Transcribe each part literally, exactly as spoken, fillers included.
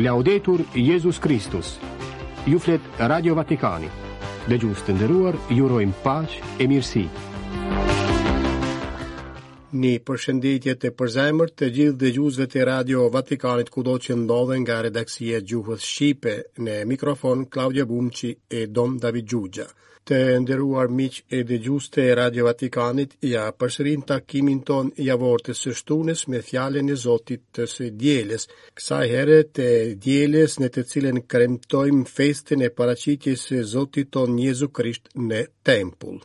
Laudetur Jezus Kristus. Ju flet Radio Vatikani. Dëgjues të nderuar, ju urojmë paqe e mirësi. Një përshëndetje të përzemërt të gjithë dëgjuesve të Radio Vatikanit kudo që ndodhen nga redaksia e gjuhës shqipe në mikrofon Klaudio Bumçi e Dom David Xhuxha. Të nderuar miq e dëgjues të Radio Vatikanit, ja përsërim takimin ton javor të së shtunës me fjalën e Zotit të së dielës. Kësaj here të dielës në të cilën kremtojmë festën e paraqitjes së Zotit ton Jezu Krisht në tempull.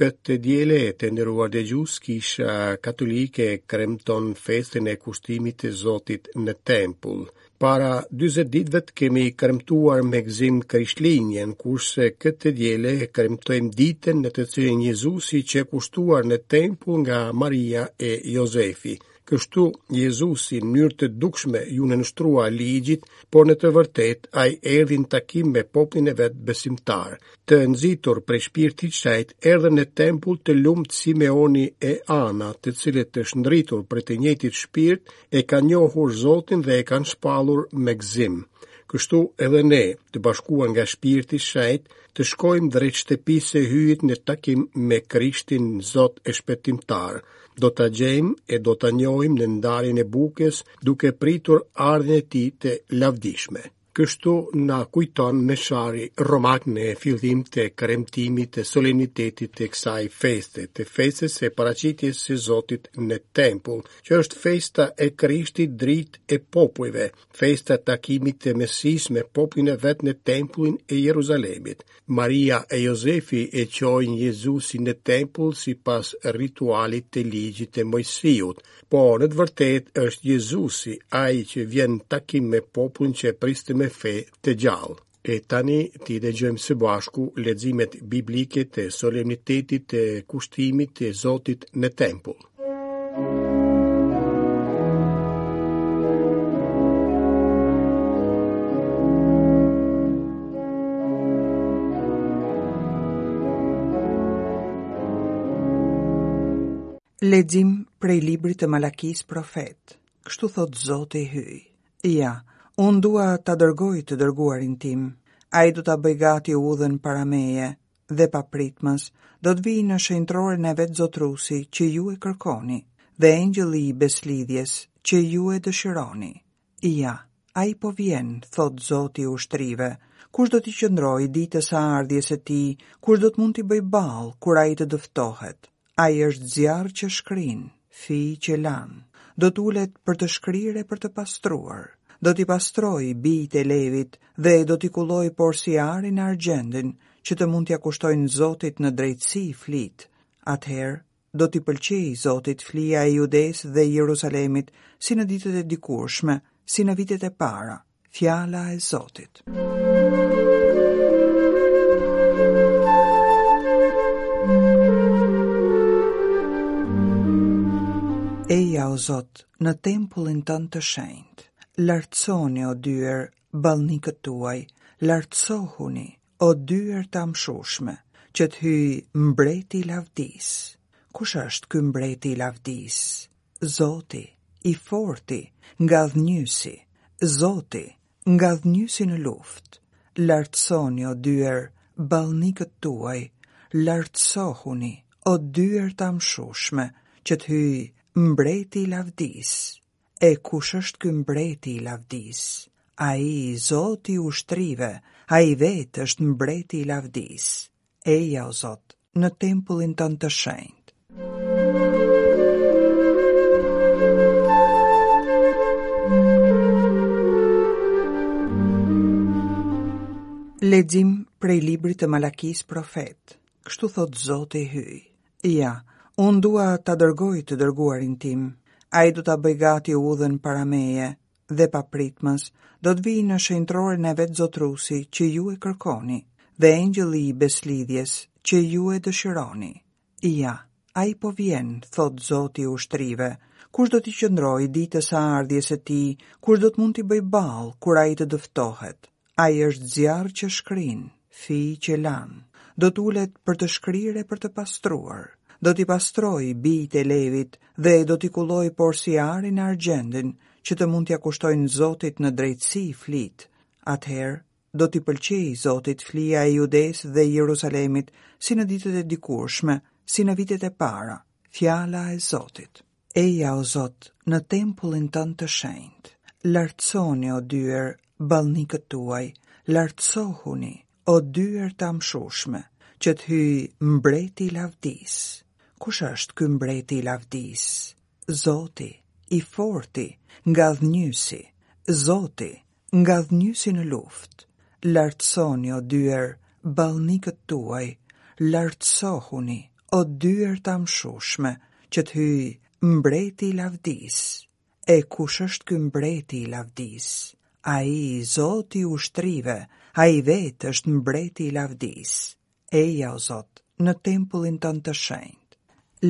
Këtë diele të nderuar dëgjues, kisha katolike kremton festën e kushtimit të Zotit në tempull. Para dyzet ditëve kemi kremtuar me gëzim Krishtlindjen, kurse këtë diele kremtojmë ditën në të cilën Jezusi qe kushtuar në tempull nga Maria e Jozefi. Kështu Jezusi në mënyrë të dukshme ju nënshtrua ligjit, por në të vërtetë ai erdhi në takim me popullin e vet besimtar. Të nxitur prej shpirtit shenjt, erdhën në tempull të lumtë Simeoni e Ana, të cilët të shndritur prej të njëjtit shpirt e kanë njohur Zotin dhe e kanë shpallur me gëzim. Kështu edhe ne, të bashkuar nga shpirti shenjt, të shkojmë drejt shtëpisë së Hyjit në takim me Krishtin Zot e Shpëtimtar. Do ta gjejmë e do ta njohim në ndarjen e bukës, duke pritur ardhjen e tij të lavdishme. Kështu na kujton meshari romak në fillim të kremtimit të solemnitetit të kësaj feste, të festës së paraqitjes së Zotit në tempull, që është festa e Krishtit dritë e popujve, festa e takimit të Mesisë me popullin e vet në tempullin e Jeruzalemit. Maria e Jozefi e çojnë Jezusin në tempull sipas ritualit të ligjit të Moisiut, por në të vërtetë është Jezusi ai që vjen në takim me popullin që priste me fe të gjallë. E tani ti dëgjojmë së bashku leximet biblike të solemnitetit të kushtimit të Zotit në tempull. Lexim prej librit të Malakis profet. Kështu thot Zoti Hyj. Ja, unë dua ta dërgoj të dërguarin tim. Ai do ta bëj gati udhën para meje dhe papritmas do të vijë në shenjtroren e vet zotrusi që ju e kërkoni dhe engjëlli i beslidhjes që ju e dëshironi. Ja, ai po vjen, thot Zoti i ushtrive. Kush do t'i qëndrojë ditës së ardhjes së tij, kush do të mund t'i bëj ballë kur ai të dëftohet? Ai është zjarr që shkrin, fi që lan. Do të ulet për të shkrirë e për të pastruar. Do t'i pastroj bijtë e Levit dhe do t'i kulloj porsi arin e argjendin, që të mund t'ja kushtojnë Zotit në drejtësi flit. Atëherë do t'i pëlqej Zotit flia e Judes dhe Jerusalemit, si në ditët e dikurshme, si në vitet e para. Fjala e Zotit. Eja, o Zot, në tempullin tënd të shenjtë. Lartësoni, o dyer, ballnikët tuaj, lartësohuni, o dyer të amshushme, që të hyjë mbreti i lavdisë. Kush është ky mbreti i lavdisë? Zoti, i forti, ngadhnjysi, Zoti, ngadhnjysi në luftë. Lartësoni, o dyer, ballnikët tuaj, lartësohuni, o dyer të amshushme, që të hyjë mbreti i lavdisë. E kush është ky mbreti i lavdisë? Ai, Zoti i ushtrive, ai vetë është mbreti i lavdisë. Eja, o Zot, në tempullin tënd të shenjtë. Lexim prej librit të Malakis profet. Kështu thot Zoti Hyj. Ja, unë dua ta dërgoj të dërguarin tim. Ai do ta bëj gati udhën para meje dhe papritmas do të vijë në shenjtroren e vet zotrusi që ju e kërkoni dhe engjëlli i beslidhjes që ju e dëshironi. Ja, ai po vjen, thot Zoti i ushtrive. Kush do t'i qëndrojë ditës së ardhjes së tij, kush do të mund t'i bëjë ballë kur ai të dëftohet? Ai është zjarr që shkrin, fij që lan. Do të ulet për të shkrirë e për të pastruar. Do t'i pastrojë bijtë e Levit dhe do t'i kullojë porsi arin e argjendin, që të mund t'ia kushtojnë Zotit në drejtësi flit. Atëherë do t'i pëlqejë Zotit flia e Judes dhe Jerusalemit, si në ditët e dikurshme, si në vitet e para. Fjala e Zotit. Eja, o Zot, në tempullin tënd të shenjtë. Lartësoni, o dyer, ballnikët tuaj, lartësohuni, o dyer të amshushme, që të hyjë mbreti i lavdisë. Kush është ky mbreti i lavdisë? Zoti, i forti, ngadhnjysi, Zoti, ngadhnjysi në luftë. Lartësoni, o dyer, ballnikët tuaj, lartësohuni, o dyer të amshushme, që të hyjë mbreti i lavdisë. E kush është ky mbreti i lavdisë? Ai, Zoti i ushtrive, ai vetë është mbreti i lavdisë. Eja, o Zot, në tempullin tënd të shenjtë.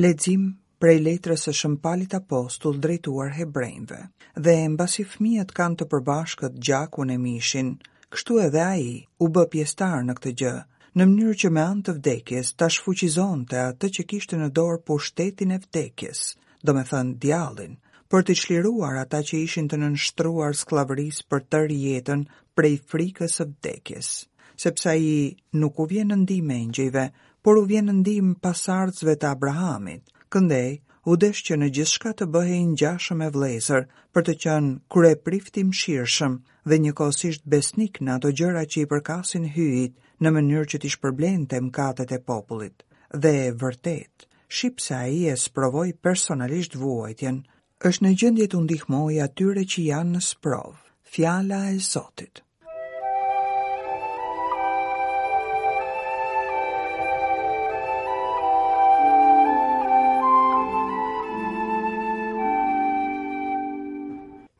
Lexim prej letrës së Shën Palit Apostull drejtuar hebrejve. Dhe mbasi fëmijët kanë të përbashkët gjakun e mishin, kështu edhe ai u bë pjesëtar në këtë gjë, në mënyrë që me anë të vdekjes ta shfuqizonte atë që kishte në dorë pushtetin e vdekjes, do me thënë djallin, për të çliruar ata që ishin të nënshtruar skllavërisë për tërë jetën prej frikës së vdekjes, sepse ai nuk u vjen në ndihmë engjëjve, por u vjen në ndihmë pasardhësve të Abrahamit. Këndej, u desh që në gjithçka të bëhej ngjashëm me vëllezër, për të qenë kryeprift i mëshirshëm dhe njëkohësisht besnik në ato gjëra që i përkasin Hyjit, në mënyrë që t'i shpërblente mëkatet e popullit. Dhe vërtet, shqipse ai e sprovoi personalisht vuajtjen, është në gjendje t'u ndihmojë atyre që janë në sprovë. Fjala e Zotit.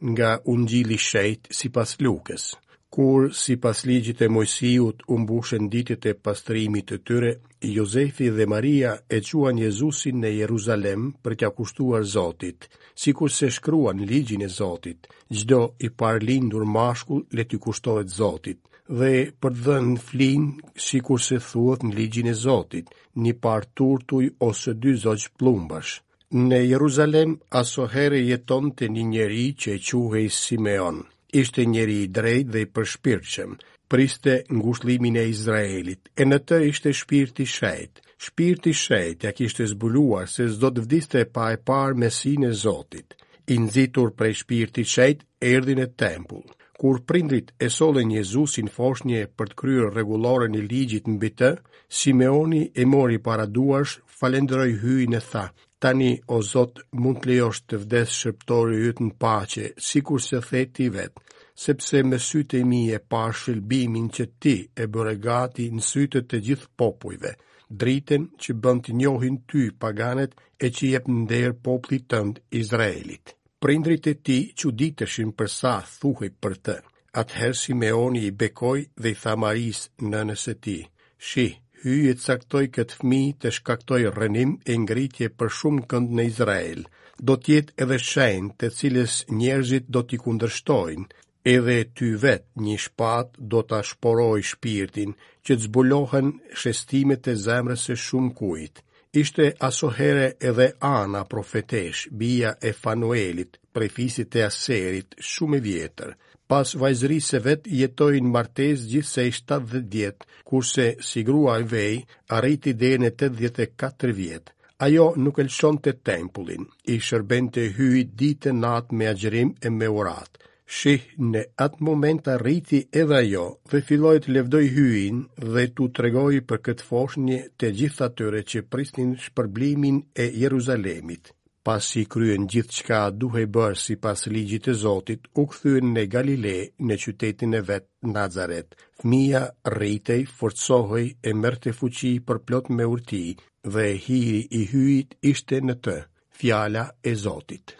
Nga Ungjilli i Shenjtë sipas Lukës. Kur sipas ligjit të Mojsiut u mbushën ditët e pastrimit të tyre, Jozefi dhe Maria e quan Jezusin në Jeruzalem për t'ia kushtuar Zotit, sikurse shkruan ligjin e Zotit, çdo i parëlindur mashkull le t'i kushtohet Zotit, dhe për të dhënë flin, sikurse thuhet në ligjin e Zotit, një par turtuj ose dy zogj plumbash. Në Jeruzalem asohere jetonte një njeri që quhej Simeon. Ishte njeri i drejtë dhe i përshpirtshëm, priste ngushëllimin e Izraelit, e në të ishte shpirti i shenjtë. Shpirti i shenjtë ja kishte zbuluar se s'do të vdiste pa e parë Mesinë e Zotit. I nxitur prej shpirtit shenjtë, erdhi në tempull. Kur prindrit e sollën Jezusin foshnje për të kryer rregulloren e ligjit mbi të, Simeoni e mori para duarsh, falënderoi Hyjin e tha: Tani, o Zot, mund të lejosh të vdes shërbëtori yt në paqe, sikurse the ti vet, sepse me sytë e mi e pash shëlbimin që ti e bëre gati në sytë të gjithë popujve, dritën që bën të njohin ty paganët e që jep nder popullit tënd Izraelit. Prindrit e tij çuditeshin për sa thuhej për të. Atëherë Simeoni i bekoi dhe i tha Marisë, nënës së tij: Shih, Hyji e caktoi këtë fëmijë të shkaktoj rrënim e ngritje për shumë kënd në Izrael. Do të jetë edhe shenjë të cilës njerëzit do t'i kundërshtojnë, edhe ty vet një shpatë do ta shporoj shpirtin, që të zbulohen shestimet e zemrës së shumë kujt. Ishte asohere edhe Ana profetesh, bija e Fanuelit, prej fisit të Aserit, shumë e vjetër. Pas vajzërisë së vet jetoi në martesë gjithsej shtatëdhjetë vjet, kurse si grua e vej arriti deri në tetëdhjetë e katër vjet. Ajo nuk e lëshonte tempullin, i shërbente Hyjit ditë e natë me agjërim e me uratë. Shih, në atë moment arriti edhe ajo dhe filloi të lëvdoj Hyjin dhe t'u tregoi për këtë foshnje të gjithë atyre që prisnin shpërblimin e Jeruzalemit. Pasi kryen gjithçka duhej bërë sipas ligjit të Zotit, u kthyen në Galile, në qytetin e vet, Nazaret. Fëmia rritej, forcohej e merrte fuqi përplot me urti, dhe hiri i Hyjit ishte në të. Fjala e Zotit.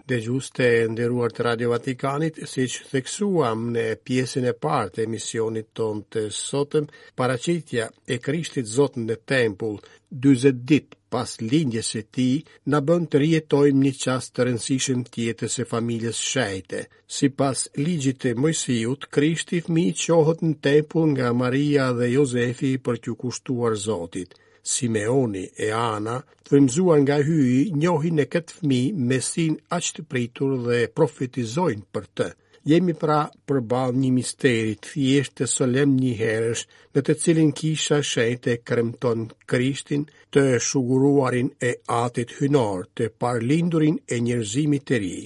Dëgjues të nderuar të Radio Vatikanit, siç theksuam në pjesën e parë të emisionit tonë të sotëm, paraqitja e Krishtit Zot në tempull dyzet ditë pas lindjes së tij na bën të rijetojmë një çast të rëndësishëm të jetës së familjes shenjte. Sipas ligjit të Moisiut, Krishti fëmijë çohet në tempull nga Maria dhe Jozefi për t'ju kushtuar Zotit. Simeoni e Ana, të frymëzuar nga Hyji, njohin në këtë fëmijë Mesin aq të pritur dhe profetizojnë për të. Jemi pra përballë një misteri të thjeshtë e solemn njëherësh, në të cilin kisha shenjte kremton Krishtin, të shuguruarin e Atit Hyjnor, të parlindurin e njerëzimit të ri.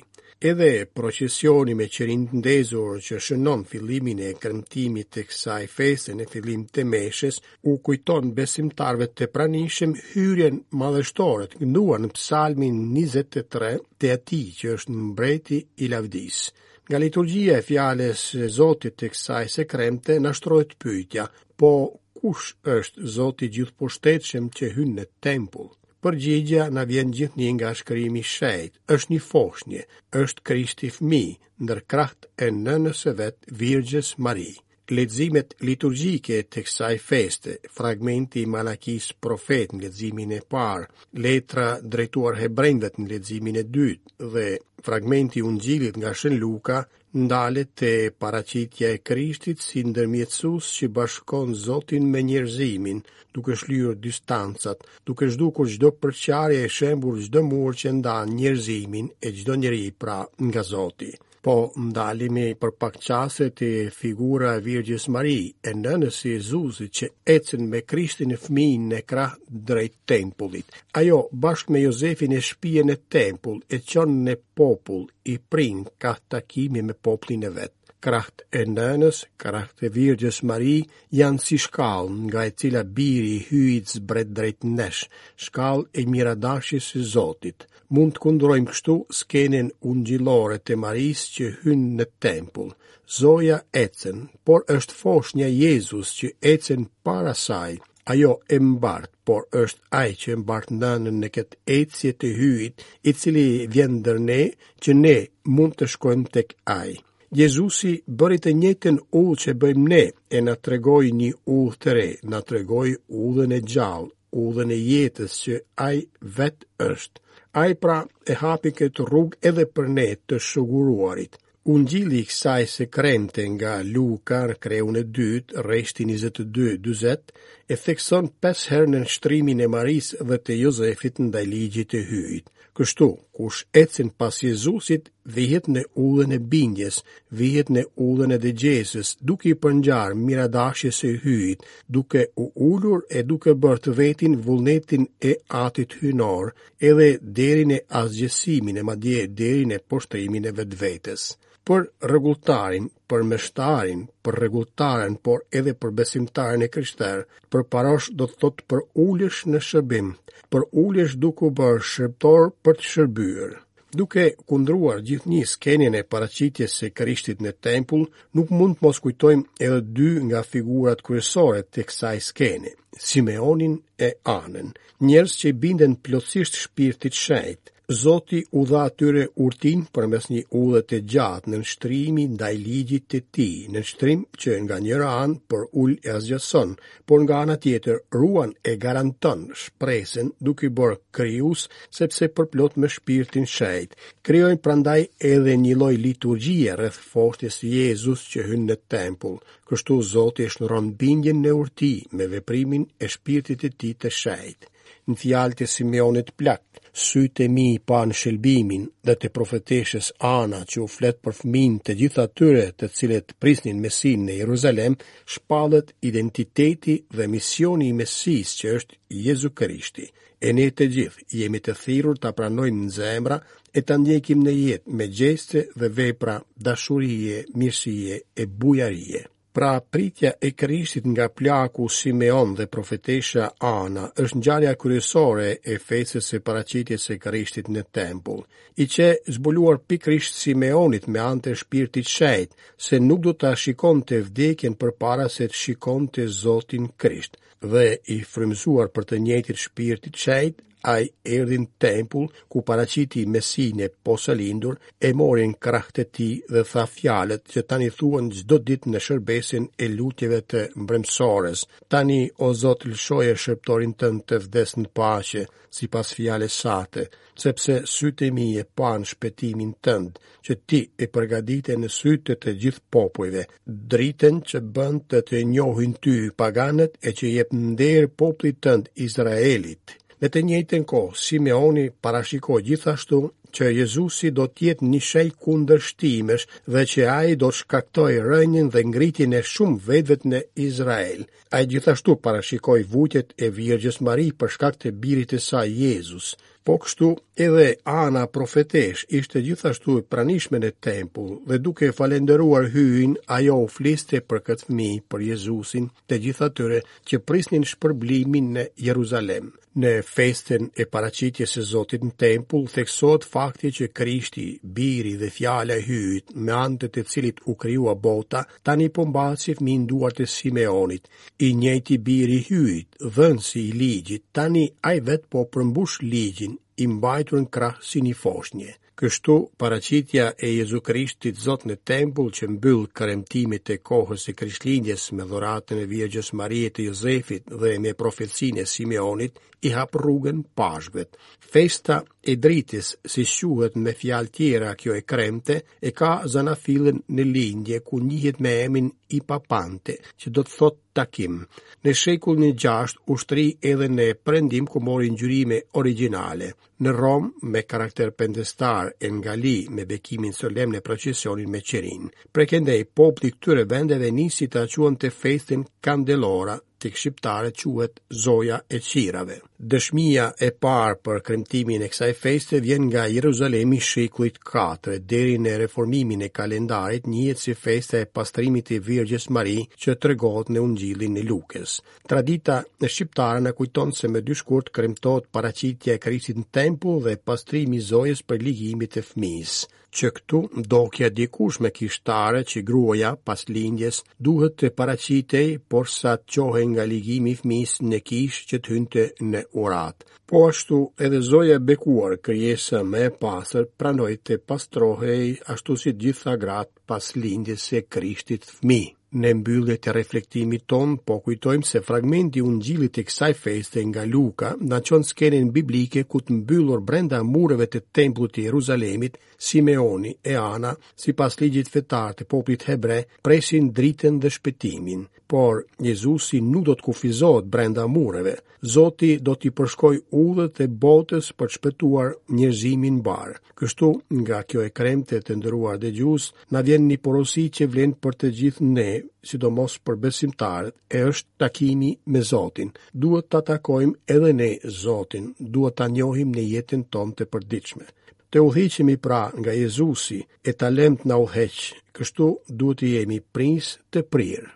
Edhe procesioni me qirinj të ndezur që shënon fillimin e kremtimit të kësaj feste në fillim të meshës, u kujton besimtarëve të pranishëm hyrjen madhështore të kënduar në Psalmin njëzet e tre të atij që është mbreti i lavdisë. Nga liturgjia e fjalës së Zotit të kësaj së kremte na shtrohet pyetja, po kush është Zoti gjithëpushtetshëm që hyn në tempull? Përgjigja na vjen gjithnjë nga shkrimi i shenjtë, është një foshnje, është Krishti fëmijë, ndër krahët e nënës së vet, Virgjës Mari. Leximet liturgjike të kësaj feste, fragmenti i Malakisë profet në leximin e parë, letra drejtuar hebrejve në leximin e dytë dhe fragmenti i Ungjillit nga Shën Luka ndalet te paraqitja e Krishtit si ndërmjetësues që bashkon Zotin me njerëzimin, duke shlyer distancat, duke zhdukur çdo përçarje e shembur çdo mur që ndan njerëzimin e çdo njeri pra nga Zoti. Po ndalemi për pak çaste te figura e Virgjës Mari, e nënës së Jezusit që ecën me Krishtin e fëmijën në krah drejt tempullit. Ajo bashkë me Jozefin e shpie në tempull, e çon në popull, i prin kah takimi me popullin e vet. Krahët e nënës, krahët e Virgjës Mari janë si shkallë nga e cila biri i Hyjit zbret drejt nesh, shkallë e miradashjes së Zotit. Mund të kundrojmë kështu skenën ungjillore të Marisë që hyn në tempull. Zoja ecën, por është foshnja Jezus që ecën para saj. Ajo e mbart, por është ai që e mbart nënën në këtë ecje të Hyjit, i cili vjen ndër ne, që ne mund të shkojmë tek ai. Jezusi bëri të njëjtën udhë që bëjmë ne, e na tregoi një udhë të re, na tregoi udhën e gjallë, udhën e jetës që ai vetë është. Ai pra e hapi këtë rrugë edhe për ne të shuguruarit. Ungjilli i kësaj së kremte nga Luka në kreun e dytë, rreshti njëzet e dy dyzet, e thekson pesë herë nënshtrimin e Marisë dhe të Jozefit ndaj ligjit të Hyjit. Kështu, kush ecën pas Jezusit, vihet në udhën e bindjes, vihet në udhën e dëgjesës, duke i përngjarë miradashjes së Hyjit, duke u ulur e duke bërë të vetin vullnetin e Atit Hyjnor, edhe deri në asgjësimin e madje deri në poshtrimin e vetvetes. Për rregulltarin, për meshtarin, për rregulltaren, por edhe për besimtarin e krishterë, për parosh do të thotë për ulësh në shërbim, për ulësh duke u bërë shërbëtor për të shërbyer. Duke kundruar gjithnjë skenën e paraqitjes së Krishtit në tempull, nuk mund të mos kujtojmë edhe dy nga figurat kryesore të kësaj skene, Simeonin e Anën, njerëz që i binden plotësisht shpirtit shenjt. Zoti u dha atyre urtin përmes një udhe të gjatë nënshtrimi ndaj ligjit të tij, nënshtrim që nga njëra anë për ul e asgjëson, por nga ana tjetër ruan e garanton shpresën duke i bërë krijues, sepse përplot me shpirtin shenjt. Krijojnë prandaj edhe një lloj liturgjie rreth foshnjës së Jezus që hyn në tempull. Kështu Zoti e shndron bindjen në urti me veprimin e shpirtit të tij të shenjtë. Në fjalët e Simeonit plak, sytë e mi panë shëlbimin dhe të profeteshës Ana që u flet për fëmijën të gjithë atyre të cilët prisnin Mesin në Jeruzalem, shpallet identiteti dhe misioni i Mesisë që është Jezu Krishti. E ne të gjithë jemi të thirrur ta pranojmë në zemra e ta ndjekim në jetë me gjeste dhe vepra dashurie, mirësie e bujarie. Pra pritja e Krishtit nga plaku Simeon dhe profetesha Ana është ngjarja kryesore e festës së paraqitjes së Krishtit në tempull. I qe zbuluar pikërisht Simeonit me anë të shpirtit shenjt se nuk do ta shikonte vdekjen përpara se të shikonte Zotin Krisht, dhe i frymëzuar për të njëjtit shpirtit shenjt, ai erdhi në tempull ku paraqiti Mesinë e posalindur, e mori në krahët e tij dhe tha fjalët që tani thuhen çdo ditë në shërbesën e lutjeve të mbrëmësores. Tani, o Zot, lëshoje shërbëtorin tënd të vdes në paqe, sipas fjalës sate, sepse sytë e mi e panë shpëtimin tënd, që ti e përgatite në sytë të të gjithë popujve, dritën që bën të të njohin ty paganët e që jep nder popullit tënd Izraelit. Në të njëjtën kohë, Simeoni parashikoi gjithashtu që Jezusi do të jetë një shenjë kundërshtimesh dhe që ai do të shkaktojë rënien dhe ngritjen e shumë vetëve në Izrael. Ai gjithashtu parashikoi vuajtjet e Virgjës Mari për shkak të birit të saj Jezus. Po kështu edhe Ana profetesh ishte gjithashtu e pranishme në tempull dhe duke falënderuar Hyjin, ajo u fliste për këtë fëmijë, për Jezusin, të gjithë atyre që prisnin shpërblimin në Jeruzalem. Në festën e paraqitjes së Zotit në tempull theksohet fakti që Krishti, biri dhe fjala e Hyjit, me anë të të cilit u krijua bota, tani po mbahet si fëmijë në duart e Simeonit. I njëjti biri i Hyjit, dhënësi i ligjit, tani ai vetë po përmbush ligjin, i mbajtur në krah si një foshnje. Kështu, paraqitja e Jezu Krishtit Zot në tempull që mbyll kremtimet e kohës së Krishtlindjes me dhuratën e Virgjës Marie të Jozefit dhe me profecinë e Simeonit, i hap rrugën Pashkëve. Festa e dritës, si quhet me fjalë tjera kjo e kremte, e ka zanafillën në lindje ku njihet me emrin Ipapante, që do të thotë takim. Në shekullin e gjashtë u shtri edhe në perëndim ku mori ngjyrime origjinale. Në Romë me karakter pendestar e në Gali me bekimin solemn në procesionin me qirinj. Prej këndej populli i këtyre vendeve nisi ta quante festën Candelora, tek shqiptarët quhet Zoja e Qirave. Dëshmia e parë për kremtimin e kësaj feste vjen nga Jeruzalemi i shekullit katër, deri në reformimin e kalendarit njihet si festa e pastrimit të Virgjës Mari që tregohet në Ungjillin e Lukës. Tradita shqiptare na kujton se më dy shkurt kremtohet paraqitja e Krishtit në tempull dhe pastrimi i Zojës për ligimit të fëmijës. Që këtu ndokja dikushme kishtare që gruaja pas lindjes duhet të paraqitej porsa të çohej nga ligimi i fëmijës në kishë që të hynte në urat. Po ashtu edhe Zoja e bekuar, krijesa më e pastër, pranoi të pastrohej ashtu si të gjitha gratë pas lindjes së Krishtit fëmijë. Në mbyllje të reflektimit ton, po kujtojmë se fragmenti i Ungjillit të kësaj feste nga Luka na çon skenën biblike ku të mbyllur brenda mureve të tempullit të Jeruzalemit, Simeoni e Ana, sipas ligjit fetar të popullit hebre, presin dritën dhe shpëtimin. Por Jezusi nuk do të kufizohet brenda mureve. Zoti do t'i përshkojë udhët e botës për të shpëtuar njerëzimin mbar. Kështu, nga kjo e kremte të nderuar dëgjues, na vjen një porosi që vlen për të gjithë ne, sidomos për besimtarët, e është takimi me Zotin. Duhet ta takojmë edhe ne Zotin, duhet ta njohim në jetën tonë të përditshme. Të udhëhiqemi pra nga Jezusi e ta lëmë të na udhëheq. Kështu duhet të jemi prijës të prirë.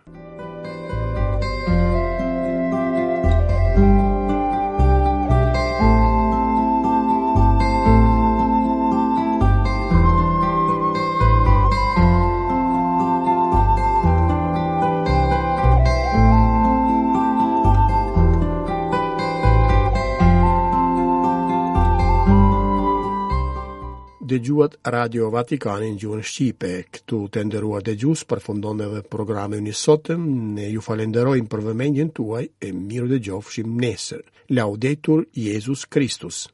Dëgjuat Radio Vatikanin në gjuhën shqipe. Këtu të nderuar dëgjues përfundon edhe programi ynë i sotëm. Ne ju falenderojmë për vëmendjen tuaj e mirë dëgjofshim nesër. Laudetur Jezus Kristus.